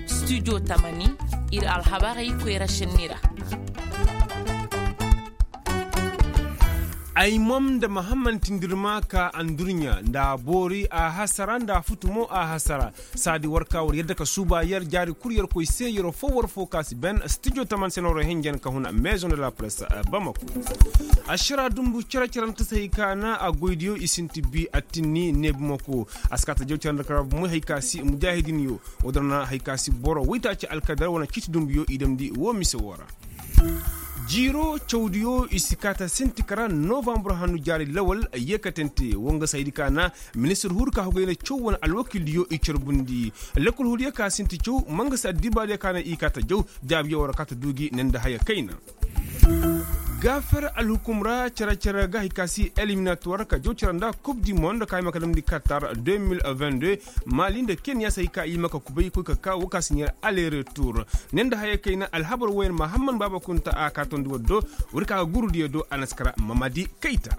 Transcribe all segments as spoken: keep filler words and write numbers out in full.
Studio tamani, ir alhabarey koyra šenni ra. Ay mom nda mahamman tindirma ka andurɲa nda a boori a hasara nda a futu mo a hasara. Saadi war ka war yadda ka suuba yer jaari kul yer koy se yeroo foo war foo ka si ben studio taman se no war henjen ka huna maison de la presse. Bamako. Ašara dumbu cere-cerante se hay ka na a goydiyo i sinti bi attinni neebumako. A si ka ta jaw ceranda kara bumey hay ka si mujaahidinyo. Woo din ra na hay ka si boro waytaaci alkadar wane ciiti dumbuyo i damndi woo mise woo ra. Jiiroo cawdiyo i si kaata sinti kara novambur hannu jaari lawal. Yeekatante woo nga saydi ka na ministir huru ka hogay na caw wane alwakiildiyo i carbundi. Lekkol huruyo ka sinti caw mangasi addibaadiyo ka na i kaata jaw. Jaabiyo war kaata duu gi ne nda haya kayna. Gaafer alhukum ra cere-cere ga hay ka si eliminatuwar ka jaw cere nda kub di mond ka hima ka damndi katar deux mille vingt-deux. Mali nda kenya se hay ka i ma ka kubay koy ka ka woo ka si ɲeer aleretur. Ne nda haya kayna alhabar wooyaŋ mahamman baaba kunta a ka tondi war do. War ka ga gurudiyo do a na si kara mamadi kayta.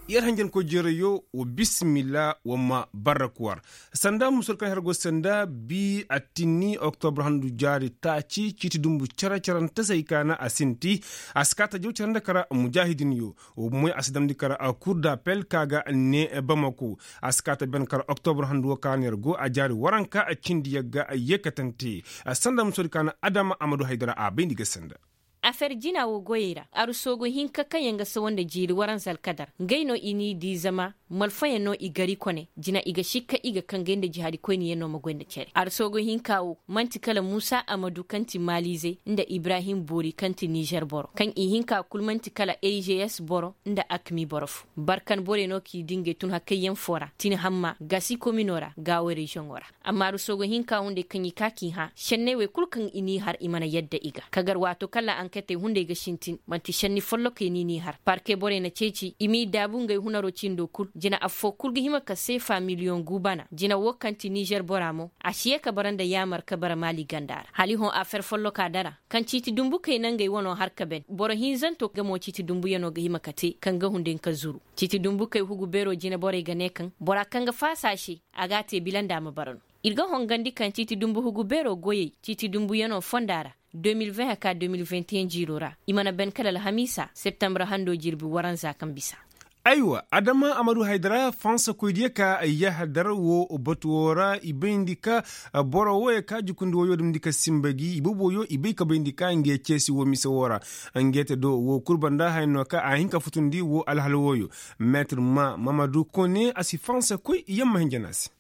Yer hanjankoy jeerayoo wa bisimilla wa ma barrak war. Sanda musol kaŋ her go sanda bi attinni oktobra handu jaari taaci ciiti dumbu cere-cerante se hay ka na a sinti. A si kaata jaw cere nda kara mujaahidinyo. Wa bumoy a si damndi kara kur dapel ka ga ne bamako. A si kaata ben kara oktobra handu woo ka na yer go a jaari waranka a cindi yagga a yeekatante. Sanda musol ka na adama amadu haydara a bayndi ga sanda. Afer jina woo goyey ra arsoogu hinka kaŋ yaŋ ga sawa nda jiiri waranza alkadar ngey no i n'i dii zama malfayaŋ no i gari kone jina i ga sikka i ga kaŋ gay nda jihaadi koyniyaŋ no ma goy nda cere arsoogu hinka woo man'ti kala muusa amadu kaŋ ti maaliizey nda ibrahim boori kaŋ ti nizer boro kaŋ i hinka kul man'ti kala a g s boro nda akmi boro foo. Barkan borey no k'i dii ngey tun hakkayyaŋ foo ra tin hamma gasi komino ra gaawo reziyoŋo ra. Amma aruso go hinka hunday kaŋ i ka k'i hã šenney wey kul kaŋ i n'i har i mana yadda i ga kagar waato kala anketey hunday ga sintin man'ti šenni follokey no i n'i har parke borey na ceeci i m'i daabu ngey hunaro cindo kul jina affoo kul ga hima ka seefa miliyoŋ gu bana jina woo kaŋ ti nizer bora mo a si yee ka bara nda yaamar ka bara maali ganda ra hala i hõ afer folloka dara kaŋ ciiti dumbukey na ngey wanoo har ka ben boro hinzanto ga mo ciiti dumbuyano ga hima ka te kaŋ ga hunday ka zuru. Ciiti dumbukey hugu beero jina borey ga ne kaŋ bora kaŋ ga faasa a se a g'a te bila nda a ma bara no. Ir ga hongandi kaŋ ciiti dumbu hugu beero goyey ciiti dumbuyanoo fonda ra deux mille vingt haka deux mille vingt et un jiiroo ra i mana ben kala alhamiisa septembre handoo jirbi waranza kaŋ bisa. Aywa adama amadu haydara fansa koydiyo ka yahadar wo batu wo ra i bayndi ka boro woyo ka jukundi woyo dumndi ka simba gi i boboyo i bay ka bayndi ka nge ceesi wo mise wo ra. Nge te do wo kul banda haya no ka a hin ka futundi wo alhal woyo. Meetir ma mamadu kone a si fansa koy yamma hinja no a se.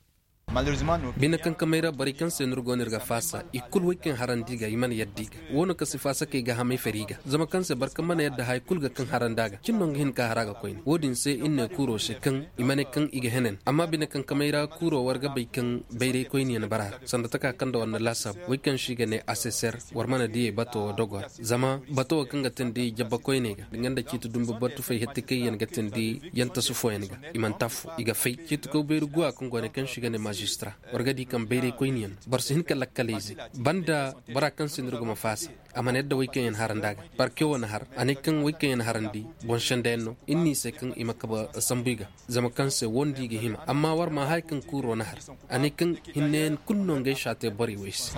Bine kankamey ra borey kaŋ se no ir go no ir ga faasa i kul wey kaŋ harandi ga i mana yadda i ga wo no ka si faasa kay ga hamay fari i ga zama kaŋ se boro kaŋ mana yadda haya kul ga kaŋ harandi a ga cin no nga hin ka har a ga koyne wo- din se ir ne kuuro se kaŋ i ma ne kaŋ i ga henen amma bine kankamey ra kuuro war ga bay kaŋ bayray koyniyaŋ bara ra sanda taka kaŋ nda war na laasaabu wey kaŋ se i ga ne aseser. War mana diyey bato wo dogo ra zama bato wo kaŋ ga tindi jabba koyney ga nga nda ciiti dumbu boro tufay hetti kaŋ yaŋ ga tindi yaŋ tasu fooyaŋ ga i mana tafu i ga fay ciiti kaw bayri guwa kaŋ go ne kaŋ se i ga ne maazistra. War ga di kaŋ bayray koyniyaŋ boro si hin ka lakkalayze banda bora kaŋ se no ir go ma faasa a mana yadda wey kaŋ yaŋ harandi a ga parke wo na har a ne kaŋ wey kaŋ yaŋ harandi boŋ sendayaŋ no ir n'i se kaŋ i ma kaba sambu i ga. Zama kaŋ se wo nda i ga hima amma war ma haya kaŋ kuuro na har a ne kaŋ hinneyaŋ kulu no ngey se a te borey wey se.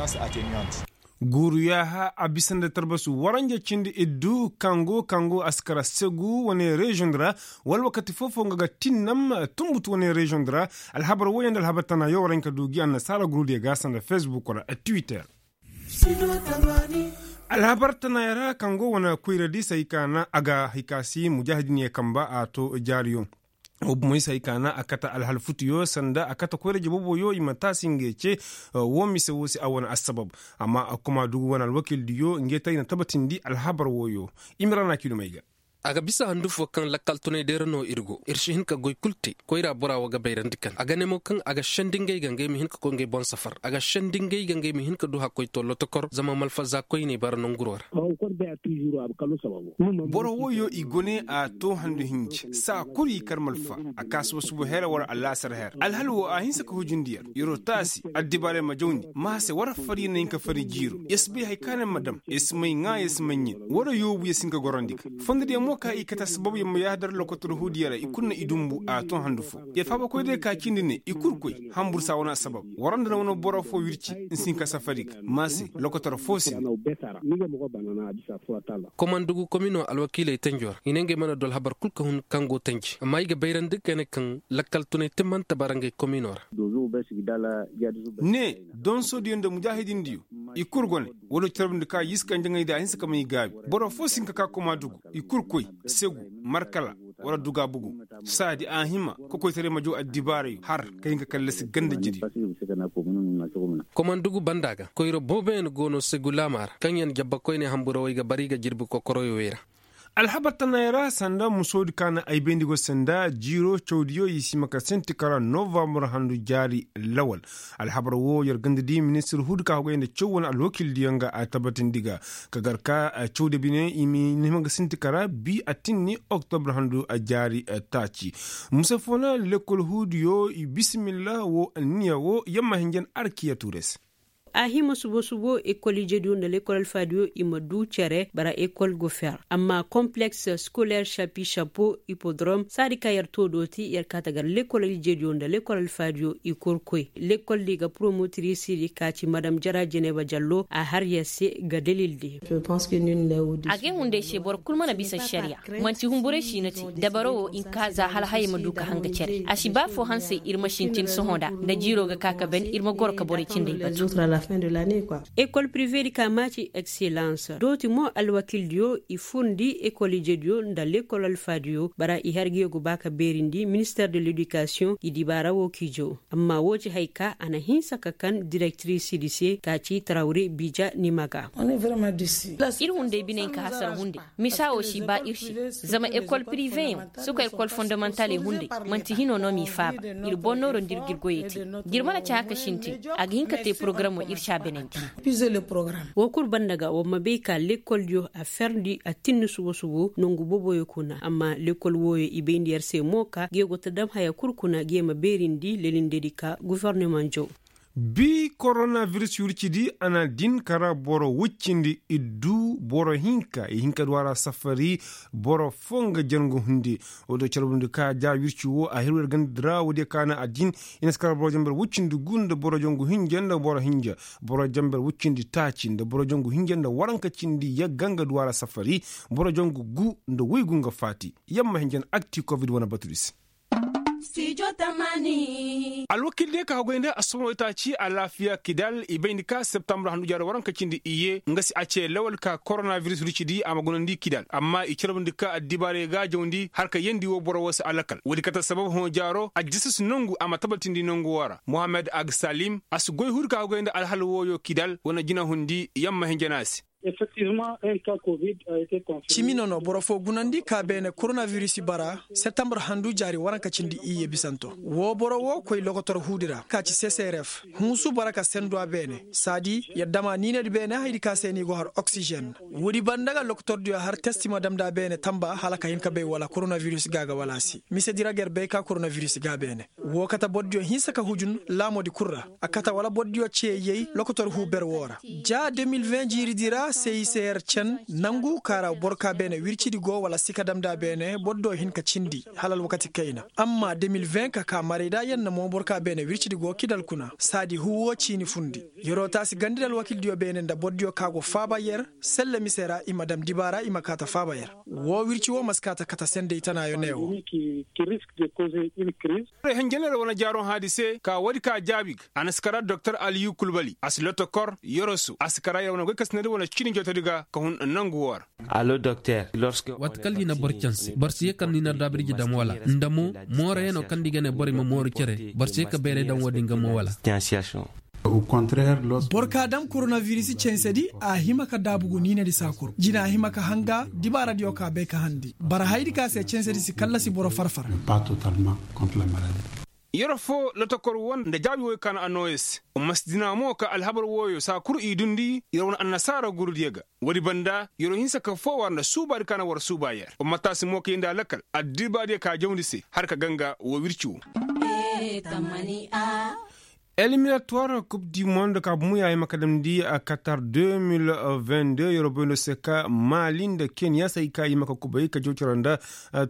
Guuru yaaha a bisa nda tarbasu waranja cindi iddu kango kango a si kara segu wane reziyoŋ di ra wala wakati foo-foo nga ga tinnam tunbutu wane reziyoŋ di ra. Alhabar woyaŋ nda alhabar tana yaŋ war hin ka du gi annasaara gurudiyo ga sanda fesbuk ra twitter. Alhabar tana yaŋ ra kaŋ go wane koyra di se hay ka na a ga hay ka si mujaahidin ye kamba a to jaariyo. Wo bumo i se hay ka na a kate alhal futuyo sanda a kate koyra jabooboyo i ma taasi ngey ce. Wo mise wo se a wane assabab amma kuma dugu wane alwakiildiyo ngey te ay na tabatindi alhabar woyo. Imira na kiilum ay ga. A ga bisa handu fo kaŋ lakkal tunay day ra no ir go ir si hin ka goy kul te koyra bora wo ga bayrandi kaŋ a ga ne mo kaŋ a ga sendi ngey ga ngey ma hin ka koy ngey boŋ safar a ga sendi ngey ga ngey ma hin ka du hakkoy to lotokor zama malfaza koyney bara nanguro ra. Boro woyo i gune a to handu hinji saa kulu i kar malfa a ka suba suba her wala alaasar her alhal wo a hinse ka hujindi yer. Yer wo taasi addibaarey ma jawndi ma a se war fari yer na hin ka fari jiiro yer si bay hari ka no yer ma dam yer si may ŋaa yer si may ɲin. War yoobu yer si hin ka gorandi ga fondodiyo. Mo ka i kate assabab yer ma yaadar lokotor huudiyo ra i kul na i dumbu a ton handu fo. Yer faabakoy day ka cindi ne i kul koy hambur saa wane assabab. War nda na wane boro fo wirci nsi hin ka safari ga ma se lokotor fo si. Komandugu komino alwakiiley tanjo ra i ne ngey mana du alhabar kul ka hun kaŋ go tanji amma i ga bayrandi ga ne kaŋ lakkal tunay timmanta bara ngey komino ra. Ne donsodiyo nda mujaahidindiyo i kul go ne. Wala carbundi ka yiska njaŋay da a hinsa ka may gaabi boro fo si hin ka ka komandugu i kul koy segu markala wala duga bugu. Saadi a hima kokoytaray ma jaw addibaarayo har ka hin ka kallasi ganda jiri. Komandugu banda ga koyra booboyaŋ go no segu laama ra kaŋyaŋ jabbakoyney hamburawey ga bara i ga jirbi kokoroyowey ra. Alhabar tanaayey ra sanda musoodi ka na ay bayndi go sanda jiiro cawdiyo i si hima ka sinti kara novambar handu jaari lawal. Alhabar wo yer ganda di ministir huudi ka hogay nda caw wane alwakildiyaŋ ga a tabatindi ga ka gar ka cawdiyo bine i ma hima ga sinti kara bi a tinni oktobra handu jaari taaci. Muse foo na lekkol huudiyo i bisimilla wo anniya wo yamma hinjan arkiya tuure se. A hima subo-subo ekol ijediyo nda lekol alfaadiyo i ma du cere bara ekol go fer amma kompleks skoler shapi shapo hipodrom saadi ka yer too dooti yer kaa ta gar lekol ijediyo nda lekol alfaadiyo i kor koy. Lekol di ga promotirisidi ka ci madam jara jeneba jallo a har yer se ga dalildi. Agay hunday se boro kul mana bisa ašariya. Manti humburay si no te dabaro wo i ma ka za hala hayey ma du ka hanga cere a si ba foo hansey ir ma sintin sohõ nda nda jiiro ga ka ka ben ir ma goro ka borey cindey batu. Ekol prive di ka maaci ekselans dooti mo alwakildiyo i furndi ekol ijediyo nda lekol alfaadiyo bara i har ga yogo ba ka beerindi minister de ledikasiyoŋ i dibaara wo k'i jaw. Amma woo ci haya ka a na hinsa ka kan direktirisidi se ka ci tarawre bija nimaga. Ir hunday biney ka hasara hunday misa wo si ba ir se. Zama ekol piriveyaŋ suka ekol fondamantaley hunday man'ti hino no m'i faaba. Ir bonnooro nda ir g'ir goyey te. D'ir mana cahã ka sintin a ga hin ka te porogaramoo ir s'a benandi. Woo kul banda ga war ma bay ka lekoldiyo a ferndi a tinni subo-subo nongu booboyo kuna amma lekol wooyo i bayndi yer se mo ka gee go ta dam haya kul kuna gee ma beerindi lelindedi ka gofornamaŋ jaw. Bii korona biris wircidi a na din kara boro wuccindi iddu boro hinka i hinka du a ra safari. Boro foo nga jangu hundi. Woo do carbundi ka ja wirci woo a hirwir gandadi ra woodiyo ka na a din. I na si kara boro janber wuccindi gu nda boro jangu hinja nda boro hinja. Boro janber wuccindi taaci nda boro jangu hinja nda waranka cindi yagga nga du a ra safari. Boro jangu gu nda woy gu nga faati. Yamma hinja na akti kovid wane batudi se. Alwakil diyo ka hagoy nda assumo itaaci alaafiya kidal i bayndi ka septambur handu jaaro waranka cindi iyye nga si a ce lawal ka korona biris rucidi a ma gunandi kidal amma i carbundi ka addibaarey ga a jawndi har ka yeendi woo boro woo se alakal woodi kate sabab hõ jaaro aljasas nongu a ma tabatindi nongu woo ra mohammed agsalim a si goy huudi ka hagoy nda alhal wooyo kidal wane jinahundi yamma hinja no a se. Cimi no no boro foo gunandi ka beene koronabiris bara setambur handu jaari waranka cindi iyye bisanto. Woo boro woo koy lokotor huudi ra ka ci seseref hunsu bara ka sendu a beene saadi yer dam a niinedi beene hayadi ka se ni go har oksijen. Woodi banda ga lokotordiyo har testi ma damndi a beene tamba hala ka hin ka bay wala koronabiris ga a ga wala a si misedi ra ga yer bay ka koronabiris ga a beene. Woo kate bordiyo hinsa ka hujun laamoodi kul ra. A kate wala bordiyo cee yay lokotor huu ber woo ra. Ja de mil ven jiiridi ra seyiseyer cen nangu ka ra boro ka beene wircidi go wala si ka damndi a beene bordiyo hin ka cindi hala alwakati kayna. Amma de mil ven ka ka marayda yer na mo boro ka beene wircidi go kidal kuna saadi huu woo ciini fundi. Yer'o taasi gandi nda alwakildiyo beene nda bordiyo ka go faaba yer selle mise ra i ma dam dibaara i ma kaa ta faaba yer. Woo wirci woo ma si kaa ta kate sendey tanaayo ne woo. Hinjanera wane jaaroo hãadi se ka woodi ka jaabi ga a na si kara doktor aliyu kulbali a si lotokor yorosu a si kara yer wane goy kasinadi wane ciini jootodi ga ka hun nangu woo ra. Waati kaŋ ni na boro canse boro si yee kala ni na daabirji dam wala nda mo moorayanoo kaŋ nda i ga ne borey ma mooru cere boro si yee ka bayray dam woo din ga mo wala. Boro ka dam koronabiris cansedi a hima ka daabu gu niinadi saakuru jina a hima ka hanga dibaaradiyo ka bay ka handi bara hayadi ka se cansedi si kallasi boro farfar. Yero foo lotokor woo nda jaabi wooyo ka na a nooyo se. Masdina mo ka alhabar wooyo saakuru i dundi yer wane annasaara gurudiyo ga. Woodi banda yer wo hinsa ka foo war nda suubaadi ka na war suuba yer wo ma taasi mo ka yeendi a lakal addibaadiyo ka jawndi se har ka ganga woo wirci woo. Eliminatuwar kub di mondo ka bumu ya i ma ka damndi katar deux mil vingt deux yeroo bay no se ka mali nda keniya se hay ka i ma ka kubay ka jaw cere nda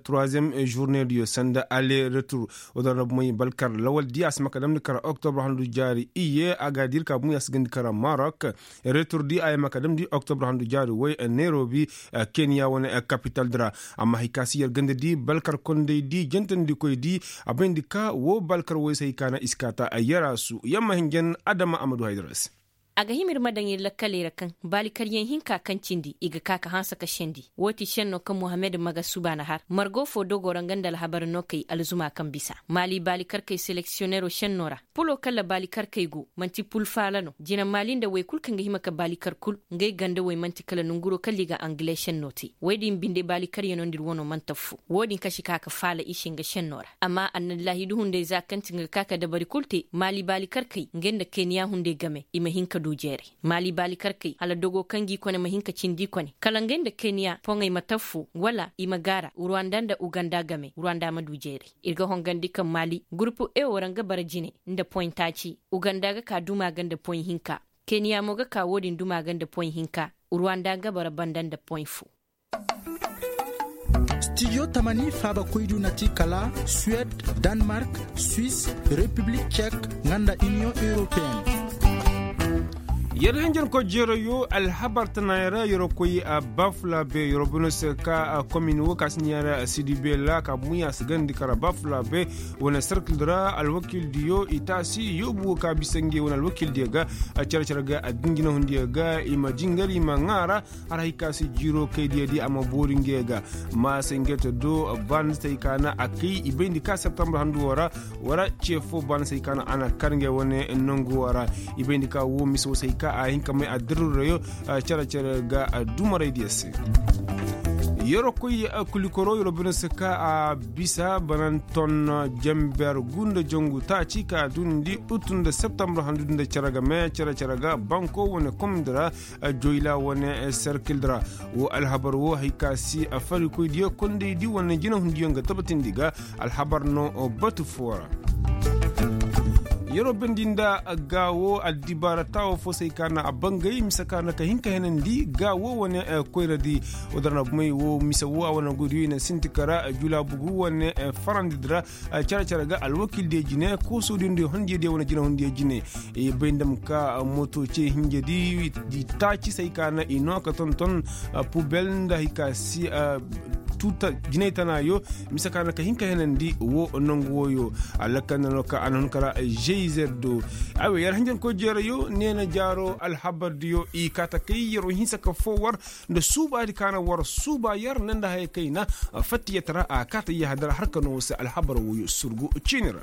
troisième journée diyo sanda ale retur. Wala na bumay balkar lawal di a si ma ka damndi kara oktobre handu jaari iye a ga dir ka bumu ya si gandi kara marok. Retur di a i ma ka damndi oktobre handu jaari way nairobi keniya wane kapital dira. Amma hay ka si yer ganda di balkar konday di jantandikoy di a bayndi ka wo balkar woy se hay ka na i si kaata yarasu yamma hinjan adama amadu haydara se. A ga hima ir ma daŋ ir lakkaley ra kaŋ baali karyaŋ hinka kaŋ cindi i ga ka ka hanse ka sendi. Woo ti senno kaŋ mohammed maga suba na har margo fo dogo ra nga nda alhabar no kay alzuma kaŋ bisa maali baali karkey seleksiyonero senno ra. Pulo kaŋ ra baali karkey go man'ti pul faala no jina maali nda wey kul kaŋ ga hima ka baali kar kul. Ngey ganda wey man'ti kala nonguro kaŋ ra i ga angile senno te. Wey din binde baali karyano nda ir wano man'ti affo. Woo din kaŋ si ka ka faala i se nga senno ra. Amma annallaahi duhundey za kaŋ ti nga ga ka ka dabari kul te maali baali karkey ngey nda keniya hunday game i ma hin ka du jeeray. Maali baali karkey hala dogo kaŋ g'i kone ma hin ka cindi kone kala ngey nda keniya poŋey ma taffo wala i ma gaara ruwanda nda uganda game ruwanda ma du jeeray. Ir ga hongandi kaŋ maali gurupu ewo ra nga bara jine nda poŋ taaci. Uganda ga ka duma ga nda poŋ hinka. Keniya mo ga ka wo-din duma ga nda poŋ hinka. Ruwanda ga bara banda nda poŋ fo. Stijo tamani faabakoydiyo na ti kala suwed, danmark, swis, repiblik cek nga nda iniyoŋ europeen. Yer hanjankoy jeerayo alhabar tanaayoo ra yeroo koy bafulabe yeroo bino se ka komin wo ka si ɲaara sidi bela ka bumu ya si gandi kara bafulabe. Wane sarkildi ra alwakildiyo i taasi yoobu wo ka bisa ngey wane alwakildiyo ga. Cere-cere ga adduɲ jinahundiyo ga i ma jingar i ma ŋaara. Har hay ka si jiiro kaydiyo di a ma boori ngey ga. Maasay ngey ta do baanasay ka na a kay i bayndi ka septembre handu wo ra. Wara ce fo baanasay ka na a na kar ngey wane nangu wo ra. I bayndi ka wo mise wo se hay ka a hin ka may a dirrirayo. Cere-cere ga dumaraydiyo se. Yeroo koy kulikoro yeroo bino se ka a bisa bananton jenber gu nda jangu taaci ka dundi utu nda septembre handu nda cere game cere-cere ga banko wane komdi ra. Joyla wane serkil ra. Wo alhabar wo hay ka si farikoydiyo kondaydi wane jinahundiyo nga tabatindi ga. Alhabar no batu foo ra. Yeroo bendi nda gaawo addibaara taawo fo se hay ka na a bangay mise ka na ka hin ka henandi gaawo wane koyradi. Woo dara na bumey wo mise wo a wane goydiyo i na sinti kara julaabugu wane farandidi ra. Care-care ga alwakildiyo jine koosodiyo nda honjediyo wane jinahundiyo jine. I bay nda ma ka moto ce hinjedi i taaci se hay ka na i no ka tonton pubel nda hay ka si tuuta jinay tanaayo. Mise ka na ka hin ka henandi wo nangu wooyo. Alakkal nda no ka a na hun kara jeyzeddo. Aywa yer hanjankoy jeerayo neena jaaro alhabardiyo i kaata kay yeroo hinsa ka foo war nda suubaadi ka na war suuba yer nda nda haya kayna. Fattiyatara a kaata yahadara har ka no wo se alhabar wooyo surgu ciini ra.